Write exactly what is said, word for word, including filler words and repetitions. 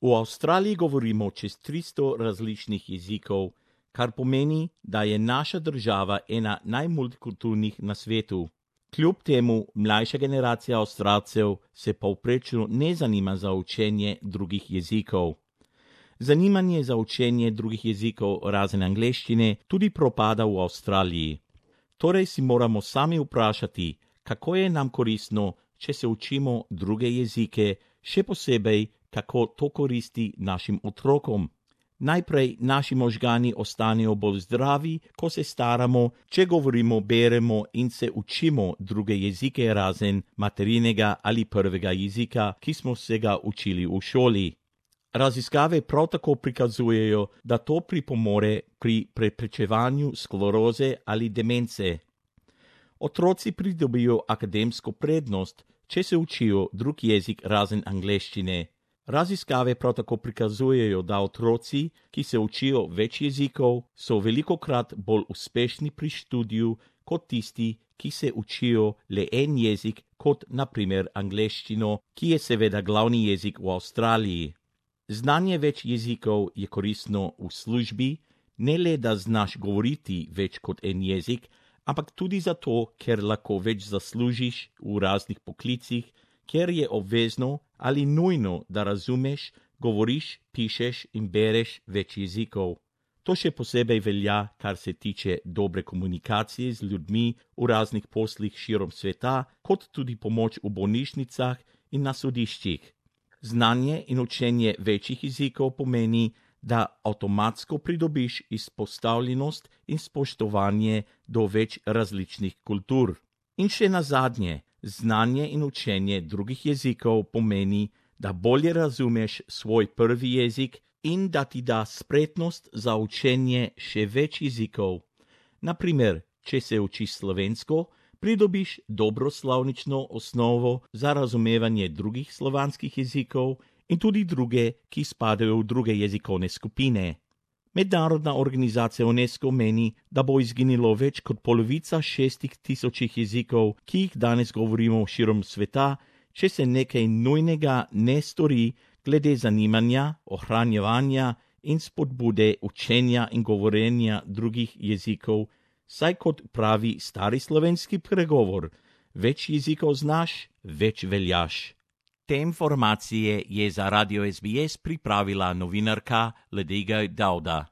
V Avstraliji govorimo čez tristo različnih jezikov, kar pomeni, da je naša država ena najmultikulturnih na svetu. Kljub temu mlajša generacija Avstralcev se povprečno ne zanima za učenje drugih jezikov. Zanimanje za učenje drugih jezikov razen angleščine tudi propada v Avstraliji. Torej si moramo sami vprašati, kako je nam koristno, če se učimo druge jezike, še posebej, kako to koristi našim otrokom. Najprej naši možgani ostanejo bolj zdravi, ko se staramo, če govorimo, beremo in se učimo druge jezike razen materinega ali prvega jezika, ki smo se ga učili v šoli. Raziskave prav tako prikazujejo, da to pripomore pri preprečevanju skleroze ali demence. Otroci pridobijo akademsko prednost, če se učijo drug jezik razen angleščine. Raziskave prav tako prikazujejo, da otroci, ki se učijo več jezikov, so velikokrat bolj uspešni pri študiju kot tisti, ki se učijo le en jezik, kot na primer angleščino, ki je seveda glavni jezik v Avstraliji. Znanje več jezikov je koristno v službi, ne le da znaš govoriti več kot en jezik, ampak tudi zato, ker lahko več zaslužiš v raznih poklicih, ker je obvezno ali nujno, da razumeš, govoriš, pišeš in bereš več jezikov. To še posebej velja, kar se tiče dobre komunikacije z ljudmi v raznih poslih širom sveta, kot tudi pomoč v bolnišnicah in na sodiščih. Znanje in učenje večjih jezikov pomeni, da avtomatsko pridobiš izpostavljenost in spoštovanje do več različnih kultur. In še nazadnje, znanje in učenje drugih jezikov pomeni, da bolje razumeš svoj prvi jezik in da ti da spretnost za učenje še več jezikov. Na primer, če se učiš slovensko, pridobiš dobro slovnično osnovo za razumevanje drugih slovanskih jezikov in tudi druge, ki spadajo v druge jezikovne skupine. Mednarodna organizacija UNESCO meni, da bo izginilo več kot polovica šestih tisočih jezikov, ki jih danes govorimo širom sveta, če se nekaj nujnega ne stori glede zanimanja, ohranjevanja in spodbude učenja in govorjenja drugih jezikov, saj kot pravi stari slovenski pregovor, več jezikov znaš, več veljaš. Te informacije je za Radio S B S pripravila novinarka Ledega Dauda.